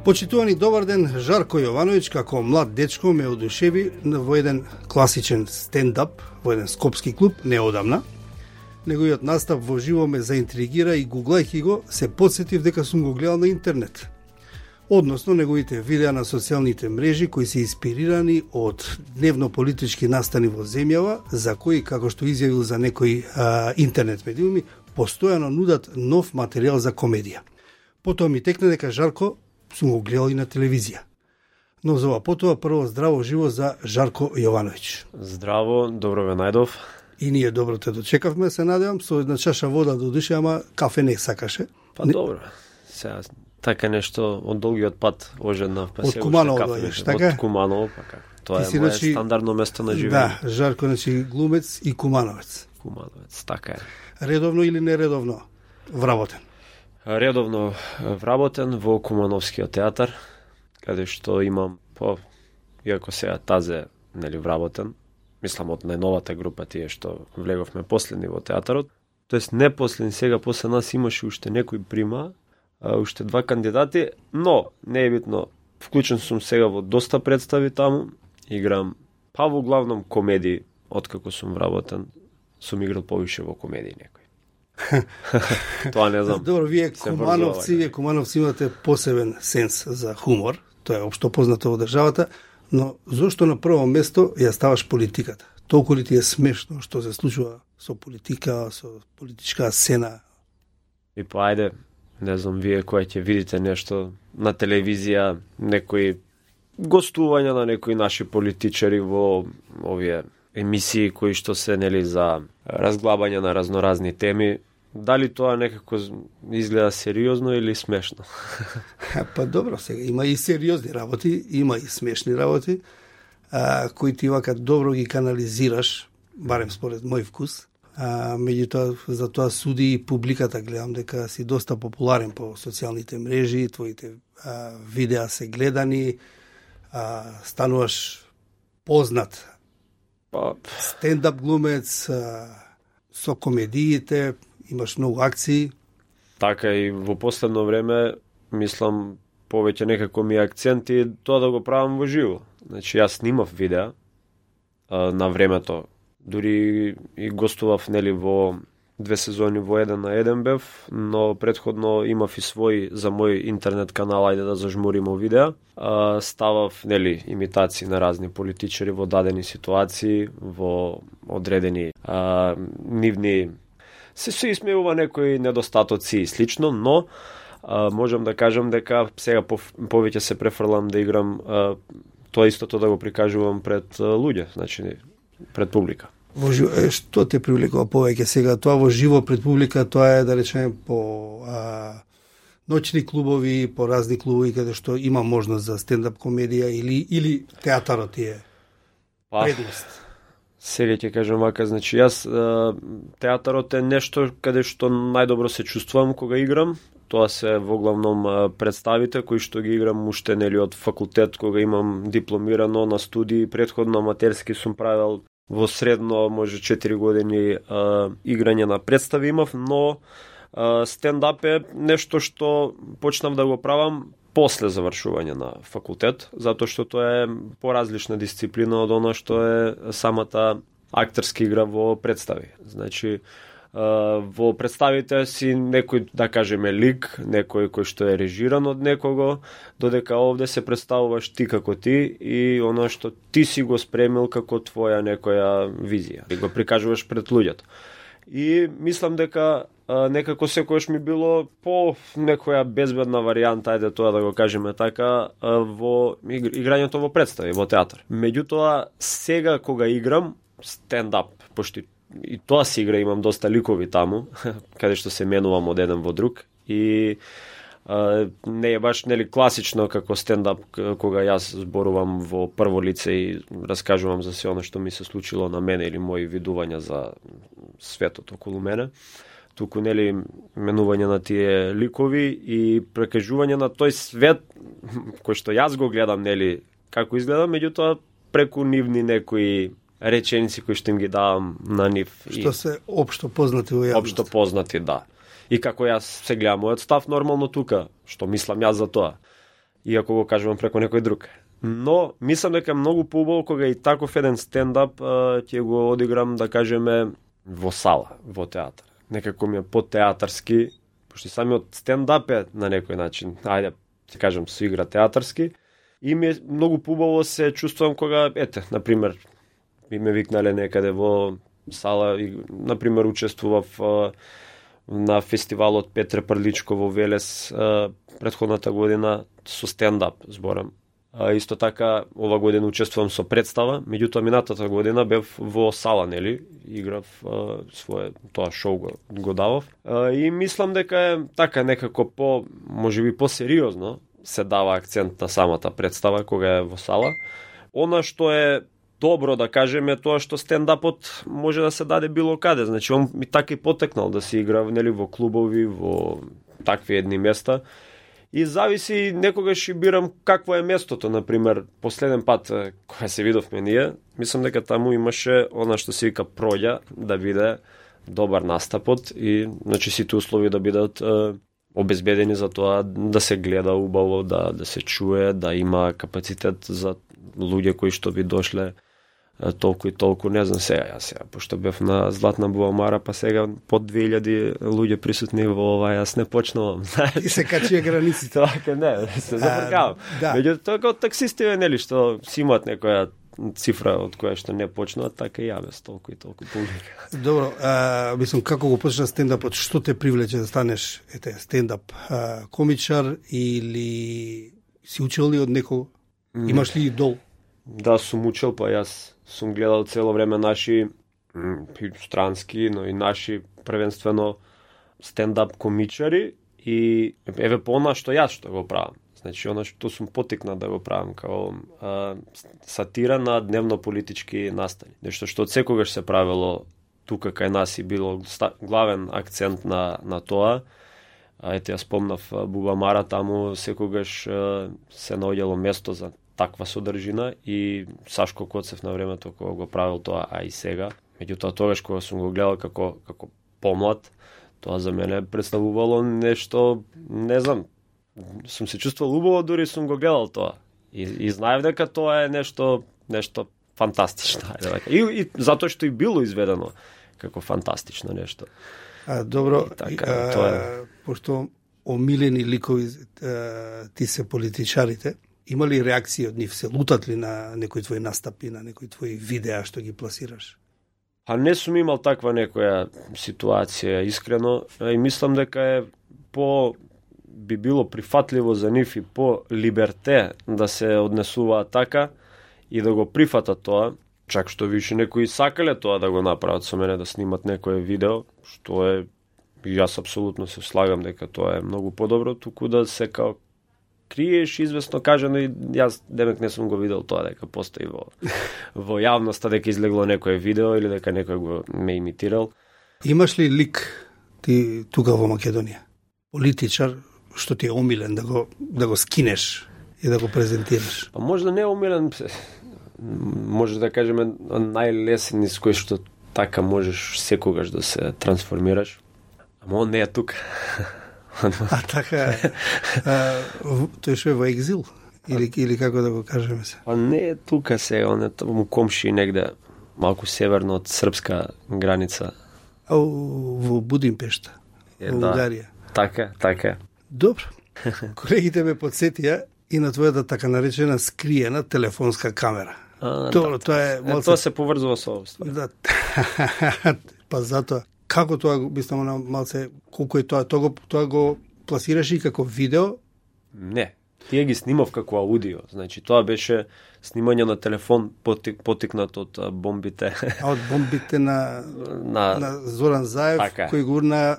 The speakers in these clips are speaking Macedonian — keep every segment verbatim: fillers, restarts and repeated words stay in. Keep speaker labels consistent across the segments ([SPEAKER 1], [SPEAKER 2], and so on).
[SPEAKER 1] Почитувани добар ден, Жарко Јовановиќ како млад дечко ме одушеви во еден класичен стендап во еден скопски клуб неодамна. Неговиот настап во живо ме заинтригира и гуглајќи го се потсетив дека сум го гледал на интернет. Односно неговите видеа на социјалните мрежи кои се инспирирани од дневно-политички настани во земјава, за кои, како што изјавил за некои а, интернет медиуми, постојано нудат нов материјал за комедија. Потоа ми текна дека Жарко сум го гледал и на телевизија. Но за ова потоа прво здраво живо за Жарко Јовановиќ.
[SPEAKER 2] Здраво, добро ве најдов.
[SPEAKER 1] И ние добро те дочекавме, се надевам, со една чаша вода до душе, ама кафе не сакаше.
[SPEAKER 2] Па не... добро. Сега така нешто од долгиот пат ожеднав, па
[SPEAKER 1] се Куманово дојдеш, така?
[SPEAKER 2] Од Куманово, па како. Тоа
[SPEAKER 1] Ти
[SPEAKER 2] е моје
[SPEAKER 1] значи...
[SPEAKER 2] стандардно место на живење.
[SPEAKER 1] Да, Жарко, значи глумец и кумановец.
[SPEAKER 2] Кумановец, така е.
[SPEAKER 1] Редовно или нередовно вработен?
[SPEAKER 2] Редовно вработен во Кумановскиот театар, каде што имам, по, иако сега тазе, нели, вработен, мислам од најновата група тие што влеговме последни во театарот, тоест не последни, сега после нас имаше уште некој прима, а, уште два кандидати, но не е битно, вклучен сум сега во доста представи таму, играм, па во главном комедии, откако сум вработен, сум играл повише во комедии некој. Тоа не знам.
[SPEAKER 1] Добро, вие кумановци, вие кумановци имате посебен сенс за хумор, тоа е општо познато во државата, но зошто на прво место ја ставаш политиката? Толку ли ти е смешно што се случува со политика, со политичка сцена?
[SPEAKER 2] И па ајде, не знам, вие кој ќе видите нешто на телевизија, некои гостувања на некои наши политичари во овие емисии кои што се, нели, за разглабање на разноразни теми, дали тоа некако изгледа сериозно или смешно?
[SPEAKER 1] Па добро, сега има и сериозни работи, има и смешни работи, а, кои ти вака добро ги канализираш, барем според мој вкус. А, меѓутоа, за тоа суди и публиката, гледам дека си доста популарен по социјалните мрежи, твоите а, видеа се гледани, а, стануваш познат стендап глумец, а, со комедиите, имаш многу акции.
[SPEAKER 2] Така и во последно време, мислам, повеќе некако ми акценти тоа да го правам во живо. Значи, јас снимав видеа а, на времето, дури и гостував, нели, во две сезони во еден на еден бев, но предходно имав и свој за мој интернет канал, ајде да зажмуримо видеа. А, ставав, нели, имитации на разни политичари во дадени ситуации, во одредени а, нивни се се исмеува некои недостатоци и слично, но а, можам да кажам дека сега по, повеќе се префрлам да играм а, тоа истото да го прикажувам пред а, луѓе, значи пред публика.
[SPEAKER 1] Во живо, е, што те привлекува повеќе сега? Тоа во живо пред публика, тоа е, да речеме, по а, ноќни клубови, по разни клубови каде што има можност за стендап комедија или или театарот е предност?
[SPEAKER 2] Сега ќе кажам вака, значи јас театарот е нешто каде што најдобро се чувствувам кога играм. Тоа се во главном представите кои што ги играм уште, нели, од факултет кога имам дипломирано на студии, предходно аматерски сум правел во средно може четири години а, играње на представи имав, но а, стендап е нешто што почнав да го правам после завршување на факултет, затоа што тоа е поразлична дисциплина од она што е самата актерска игра во представи. Значи, во представите си некој, да кажеме, лик, некој кој што е режиран од некого, додека овде се представуваш ти како ти и оно што ти си го спремил како твоја некоја визија. И го прикажуваш пред луѓето. И мислам дека а, некако секојаш ми било по некоја безбедна варијанта, ајде тоа да го кажеме така, а, во играњето во представи, во театар. Меѓутоа, сега кога играм стендап, пошто и тоа си игра, имам доста ликови таму, каде што се менувам од еден во друг и а, не е баш, нели, класично како стендап кога јас зборувам во прво лице и раскажувам за се оно што ми се случило на мене или мои видувања за светот околу мене. Туку, нели, менување на тие ликови и прекажување на тој свет кој што јас го гледам, нели, како изгледа, меѓутоа преку нивни некои реченици кои што им ги давам на нив.
[SPEAKER 1] Што се општо познати во јавност.
[SPEAKER 2] Општо познати, да. И како јас се гледам мојот став нормално тука, што мислам јас за тоа. иако го кажувам преку некој друг. Но мислам дека многу поубаво кога и таков еден стендап ќе го одиграм, да кажеме, во сала, во театар. Некако ми е по-театарски, пошто самиот стендап е на некој начин, ајде, ќе кажам, со игра театарски, и ми е многу поубаво се чувствувам кога, ете, например, би ме викнале некаде во сала, и, например, учествував а, на фестивалот Петре Прличко во Велес а, претходната година со стендап зборам. А, исто така, ова година учествувам со представа, меѓутоа минатата година бев во сала, нели, играв а, свое тоа шоу го, го давав. А, и мислам дека е така некако по, можеби по-сериозно се дава акцент на самата представа кога е во сала. Она што е добро, да кажеме, тоа што стендапот може да се даде било каде. Значи, он ми така и потекнал да се игра, нели, во клубови, во такви едни места. И зависи, некогаш и бирам какво е местото. Например, последен пат кога се видовме ние, мислам дека таму имаше она што се вика проѓа, да биде добар настапот и, значи, сите услови да бидат е, обезбедени за тоа да се гледа убаво, да, да се чуе, да има капацитет за луѓе кои што би дошле толку и толку, не знам сега, јас сега, пошто бев на Златна Буамара, па сега под две илјади луѓе присутни во ова, јас не почнувам.
[SPEAKER 1] И се качија границите.
[SPEAKER 2] Така, не, се забркавам.
[SPEAKER 1] Да.
[SPEAKER 2] Меѓу тоа како таксисти, нели, што си имаат некоја цифра од која што не почнуваат, така и ја без толку и толку публика.
[SPEAKER 1] Добро, а, мислам, како го почна стендапот, што те привлече да станеш, ете, стендап а, комичар или си учел ли од некого? Имаш ли идол?
[SPEAKER 2] Да, сум учел, па јас сум гледал цело време наши странски, но и наши првенствено стендап комичари и еве по она што јас што го правам. Значи, она што сум потикнат да го правам као а, сатира на дневно-политички настани. Нешто што од секогаш се правило тука кај нас и било главен акцент на, на тоа. А, ете, ја спомнав Бубамара, таму секогаш а, се наоѓало место за таква содржина и Сашко Коцев на времето кога го правил тоа, а и сега. Меѓутоа, тогаш кога сум го гледал како, како помлад, тоа за мене представувало нешто, не знам, сум се чувствувал убаво, дури сум го гледал тоа. И, и знаев дека тоа е нешто, нешто фантастично. И, и затоа што и било изведено како фантастично нешто.
[SPEAKER 1] А, добро,
[SPEAKER 2] и така,
[SPEAKER 1] а,
[SPEAKER 2] тоа е.
[SPEAKER 1] Пошто омилени ликови а, ти се политичарите, има ли реакции од нив? Се лутат ли на некои твои настапи, на некои твои видеа што ги пласираш?
[SPEAKER 2] А не сум имал таква некоја ситуација, искрено, и мислам дека е по би било прифатливо за нив и по либерте да се однесуваат така и да го прифатат тоа, чак што више некои сакале тоа да го направат со мене, да снимат некое видео, што е, јас апсолутно се слагам дека тоа е многу подобро, туку да се као криеш известно кажано, и јас демек не сум го видел тоа дека постои во во јавноста дека излегло некое видео или дека некој го ме имитирал.
[SPEAKER 1] Имаш ли лик ти тука во Македонија? Политичар што ти е омилен да го да го скинеш и да го презентираш?
[SPEAKER 2] Па може да не е омилен, може да кажеме најлесен низ кој што така можеш секогаш да се трансформираш. Ама он не е тука.
[SPEAKER 1] А така, а, тој што е во екзил? Или, или како да го кажеме се?
[SPEAKER 2] Па не е тука сега, он е таму комши негде, малку северно од српска граница.
[SPEAKER 1] А во Будимпешта,
[SPEAKER 2] е,
[SPEAKER 1] во
[SPEAKER 2] да.
[SPEAKER 1] Унгарија.
[SPEAKER 2] Така, така.
[SPEAKER 1] Добро. Колегите ме подсетија и на твојата така наречена скриена телефонска камера.
[SPEAKER 2] А,
[SPEAKER 1] Добро,
[SPEAKER 2] да,
[SPEAKER 1] тоа е
[SPEAKER 2] малце...
[SPEAKER 1] малце...
[SPEAKER 2] Тоа се поврзува со ова ствар.
[SPEAKER 1] Да. Па затоа, како тоа, мислам, на малце, колку е тоа, тоа го, тоа го пласираш и како видео?
[SPEAKER 2] Не, тие ги снимав како аудио. Значи, тоа беше снимање на телефон потик, потикнат од а, бомбите.
[SPEAKER 1] А од бомбите на,
[SPEAKER 2] на...
[SPEAKER 1] на Зоран Заев,
[SPEAKER 2] така.
[SPEAKER 1] Кој гурна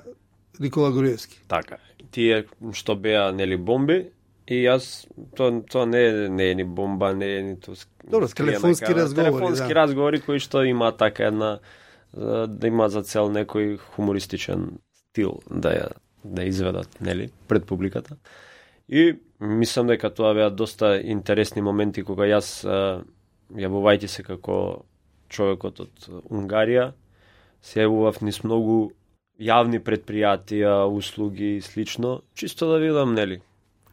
[SPEAKER 1] Никола Груевски.
[SPEAKER 2] Така. Тие што беа, нели, бомби, и јас, тоа, тоа не е, не е ни бомба, не е ниту...
[SPEAKER 1] Добро, телефонски разговори.
[SPEAKER 2] Телефонски
[SPEAKER 1] да.
[SPEAKER 2] разговори кои што има така една, да има за цел некој хумористичен стил да ја да изведат, нели, пред публиката. И мислам дека тоа беа доста интересни моменти кога јас, јавувајќи се како човекот од Унгарија, се јавував низ многу јавни предпријатија, услуги и слично, чисто да видам, нели,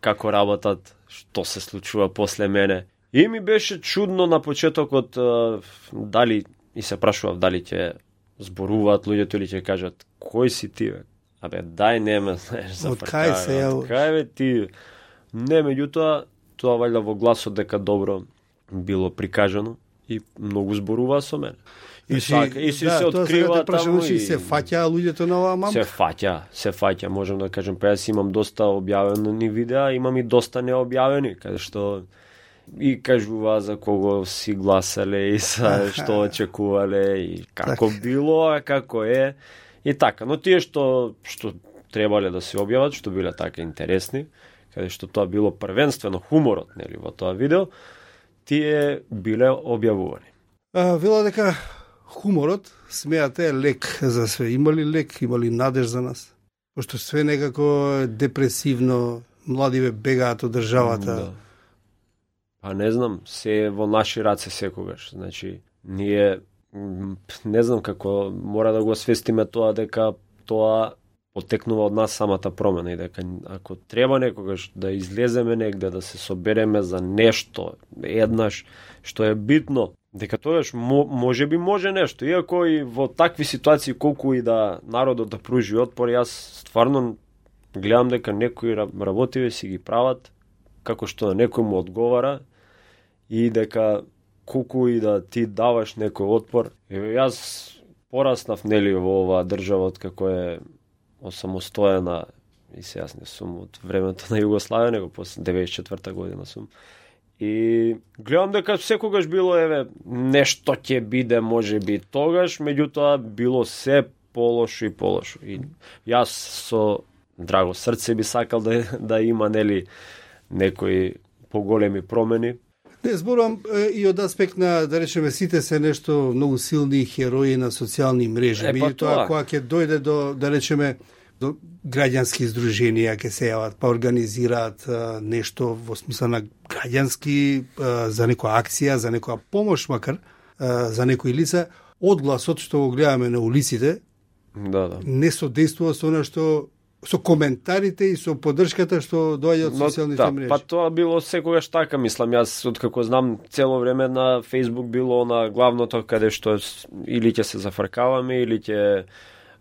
[SPEAKER 2] како работат, што се случува после мене. И ми беше чудно на почетокот дали, и се прашував дали ќе зборуваат луѓето или ќе кажат кој си ти, бе? Абе, дај не ме знаеш за
[SPEAKER 1] од кај се ја...
[SPEAKER 2] Од кај бе ти? Не, меѓутоа, тоа вајда во гласот дека добро било прикажано и многу зборуваа со мене. И,
[SPEAKER 1] Значи,
[SPEAKER 2] така, и си
[SPEAKER 1] да,
[SPEAKER 2] се открива таму
[SPEAKER 1] и... се фаќаа луѓето на оваа мамка?
[SPEAKER 2] Се фаќа, се фаќа, можам да кажем, па јас имам доста објавени видеа, имам и доста необјавени, каде што и кажува за кого си гласале и за што очекувале и како так. Било, а како е и така. Но тие што што требале да се објават, што биле така интересни, каде што тоа било првенствено хуморот, нели, во тоа видео, тие биле објавувани.
[SPEAKER 1] А, вела дека хуморот, смеате, е лек за све. Има ли лек, има ли надеж за нас? Пошто све некако депресивно, младиве бегаат од државата.
[SPEAKER 2] Да. Па не знам, се во наши раце секогаш. Значи, ние не знам како мора да го свестиме тоа дека тоа потекнува од нас самата промена и дека ако треба некогаш да излеземе негде, да се собереме за нешто еднаш што е битно, дека тогаш може би може нешто. Иако и во такви ситуации колку и да народот да пружи отпор, јас стварно гледам дека некои работиве си ги прават како што на некој му одговара и дека колку и да ти даваш некој отпор. Еве јас пораснав нели во оваа држава од како е осамостојана и се јас не сум од времето на Југославија, него после деветдесет и четврта година сум. И гледам дека секогаш било еве нешто ќе биде можеби тогаш, меѓутоа било се полошо и полошо. И јас со драго срце би сакал да да има нели некои поголеми промени.
[SPEAKER 1] Не, зборувам и од аспект на, да речеме, сите се нешто многу силни херои на социјални мрежи.
[SPEAKER 2] Е, па
[SPEAKER 1] тоа, кога ќе дојде до, да речеме, до граѓански здруженија, ќе се јават, па организираат а, нешто во смисла на граѓански, а, за некоја акција, за некоја помош макар, а, за некои лица, одгласот што го гледаме на улиците,
[SPEAKER 2] да, да.
[SPEAKER 1] не содействува со она што со коментарите и со поддршката што доаѓа од социјалните
[SPEAKER 2] да,
[SPEAKER 1] мрежи.
[SPEAKER 2] Па тоа било секогаш така, мислам, јас откако знам цело време на Facebook било на главното каде што или ќе се зафркаваме или ќе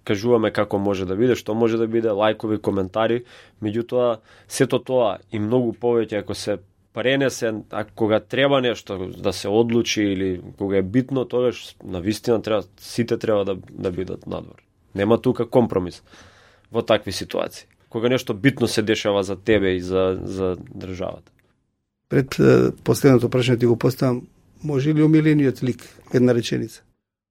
[SPEAKER 2] кажуваме како може да биде, што може да биде, лајкови, коментари, меѓутоа сето тоа и многу повеќе ако се пренесе, а кога треба нешто да се одлучи или кога е битно, тогаш навистина треба сите треба да да бидат надвор. Нема тука компромис во такви ситуации. Кога нешто битно се дешава за тебе и за за државата.
[SPEAKER 1] Пред последното прашање ти го поставам, може ли омилениот лик, една реченица?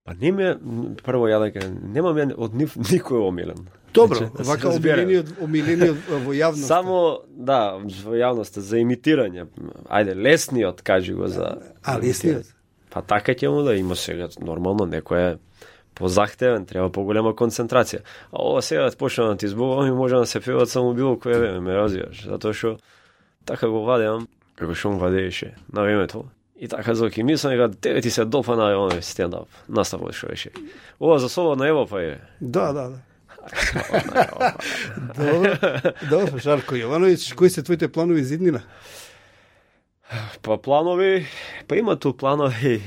[SPEAKER 2] Па не ме, прво ја дека немам ја од нив никој омилен.
[SPEAKER 1] Добро,
[SPEAKER 2] значи,
[SPEAKER 1] вака омилениот, омилениот во јавноста.
[SPEAKER 2] Само, да, во јавноста за имитирање. Ајде, лесниот кажи го за.
[SPEAKER 1] А, лесниот?
[SPEAKER 2] Па така ќе му да има сега нормално некој е позахтевен, треба поголема концентрација. А ова сега да почнам да ти зборувам и може да се певат само било кое време, ме развиваш, затоа што така го вадеам, како што му вадееше на времето. И така зоки мислам дека тебе ти се допана оној стендап, наставот што беше. Ова за Слободна Европа е.
[SPEAKER 1] Да, да, да. Добро, добро, Жарко Јовановиќ, кои се твоите планови за иднина?
[SPEAKER 2] Па планови, па има ту планови.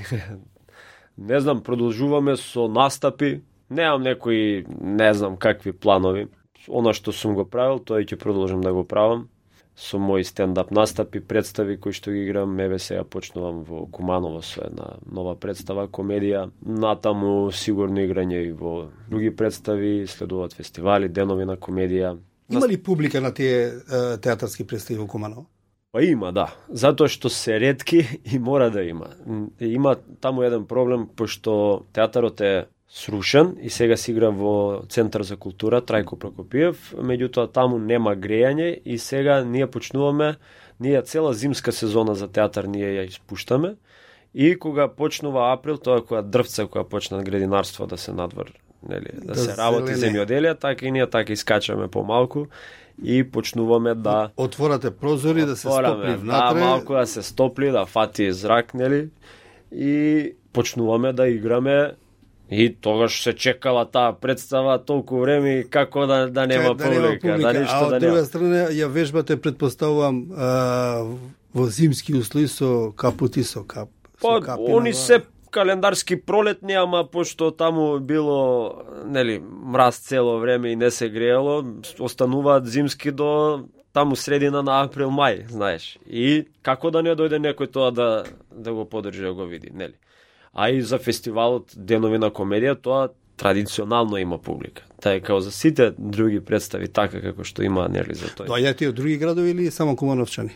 [SPEAKER 2] Не знам, продолжуваме со настапи. Немам некои, не знам какви планови. Она што сум го правил, тоа ќе продолжам да го правам. Со мои стендап настапи, представи кои што ги играм, еве сега почнувам во Куманово со една нова представа, комедија. Натаму сигурно играње и во други представи, следуваат фестивали, денови на комедија.
[SPEAKER 1] Има ли публика на тие театарски представи во Куманово?
[SPEAKER 2] Па има, да. Затоа што се ретки и мора да има. Има таму еден проблем, пошто театарот е срушен и сега се игра во Центар за култура Трајко Прокопиев, меѓутоа таму нема грејање и сега ние почнуваме, ние цела зимска сезона за театар ние ја испуштаме и кога почнува април, тоа кога дрвца, кога почнат градинарство да се надвор, нели, да, да се работи земјоделие, така и ние така искачаме помалку и почнуваме да
[SPEAKER 1] отворате прозори, да се стопли внатре,
[SPEAKER 2] да, малку да се стопли, да фати зрак, нели, и почнуваме да играме И тогаш се чекала таа представа толку време како да да нема
[SPEAKER 1] да нема
[SPEAKER 2] публика,
[SPEAKER 1] публика,
[SPEAKER 2] да ништо
[SPEAKER 1] а од
[SPEAKER 2] да
[SPEAKER 1] друга
[SPEAKER 2] нема.
[SPEAKER 1] страна ја вежбате, предпоставувам, а, во зимски услови со капути, со кап.
[SPEAKER 2] Па,
[SPEAKER 1] со капи
[SPEAKER 2] они
[SPEAKER 1] на-
[SPEAKER 2] се календарски пролетни, ама пошто таму било, нели, мраз цело време и не се греело, остануваат зимски до таму средина на април, мај, знаеш. И како да не дојде некој тоа да да го подржи, да го види, нели? А и за фестивалот Денови на комедија, тоа традиционално има публика. Тај као за сите други представи, така како што има, нели, за тој.
[SPEAKER 1] Доаѓате од други градови или само Кумановчани?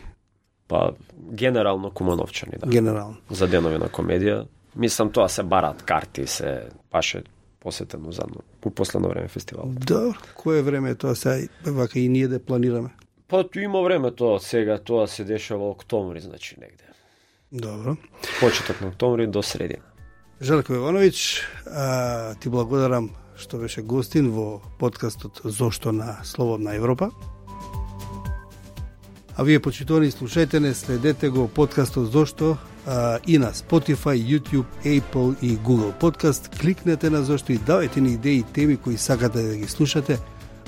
[SPEAKER 2] Па, генерално Кумановчани, да.
[SPEAKER 1] Генерално.
[SPEAKER 2] За Денови на комедија. Мислам, тоа се барат карти, се баше посетено задно, у последно време фестивал.
[SPEAKER 1] Добро, кое време е тоа сега, вака и ние да планираме?
[SPEAKER 2] Па, ту има време тоа, сега тоа се дешава октомври, значи негде.
[SPEAKER 1] Добро.
[SPEAKER 2] Почеток на октомври до средина.
[SPEAKER 1] Жарко Јовановиќ, а, ти благодарам што беше гостин во подкастот Зошто на Слободна Европа. А вие, почитувани слушајте, следете го подкастот Зошто а, и на Spotify, YouTube, Apple и Google Podcast. Кликнете на Зошто и давајте ни идеи и теми кои сакате да ги слушате,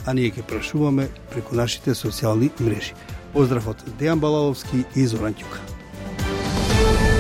[SPEAKER 1] а ние ќе прашуваме преку нашите социјални мрежи. Поздрав од Дејан Балаловски и Зоран Ќука.